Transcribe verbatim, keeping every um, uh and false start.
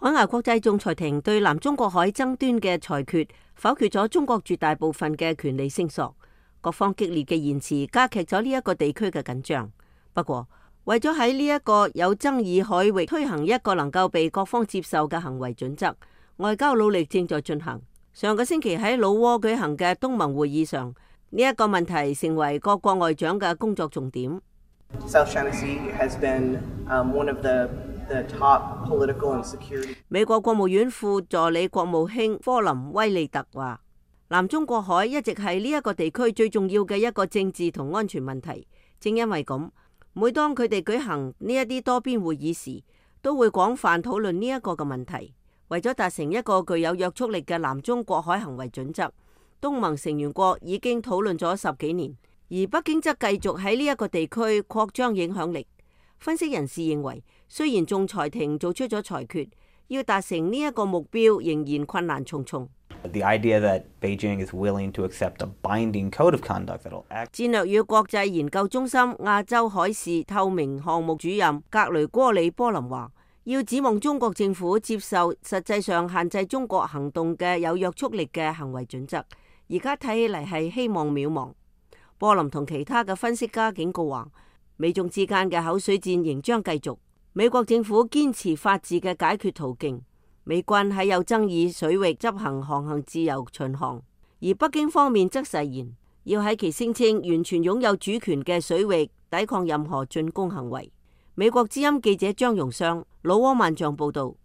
海牙國際仲裁庭對南中國海爭端嘅裁決否決咗中國絕大部分嘅權利聲索，各方激烈嘅言辭加劇咗呢一個地區嘅緊張。不過，為咗喺呢一個有爭議海域推行一個能夠被各方接受嘅行為準則，外交努力正在進行。上個星期喺老撾舉行嘅東盟會議上，呢一個問題成為各國外長嘅工作重點。South China Sea has been um, one of the the top political and security. 美國國務院副助理國務卿科林威利特話，南中國海一直係呢一個地區最重要嘅一個政治同安全問題。正因為咁，每當佢哋舉行呢一啲多邊會議時，都會廣泛討論呢一個嘅問題。為咗達成一個具有約束力嘅南中國海行為準則，東盟成員國已經討論咗十幾年，而北京則繼續喺呢一個地區擴張影響力。分析人士認為，雖然仲裁庭做出咗裁決，要達成呢一個目標仍然困難重重。The idea that Beijing is willing to accept a binding code of conduct that'll act. 戰略與國際研究中心亞洲海事透明項目主任格雷戈里波林話，要指望中國政府接受實際上限制中國行動嘅有約束力嘅行為準則，而家睇起嚟係希望渺茫。波林同其他嘅分析家警告話，美中之間嘅口水戰仍將繼續。美國政府堅持法治嘅解決途徑，美軍喺有爭議水域執行航行自由巡航，而北京方面則誓言要喺其聲稱完全擁有主權嘅水域抵抗任何進攻行為。美國之音記者張榮湘，老撾萬象報道。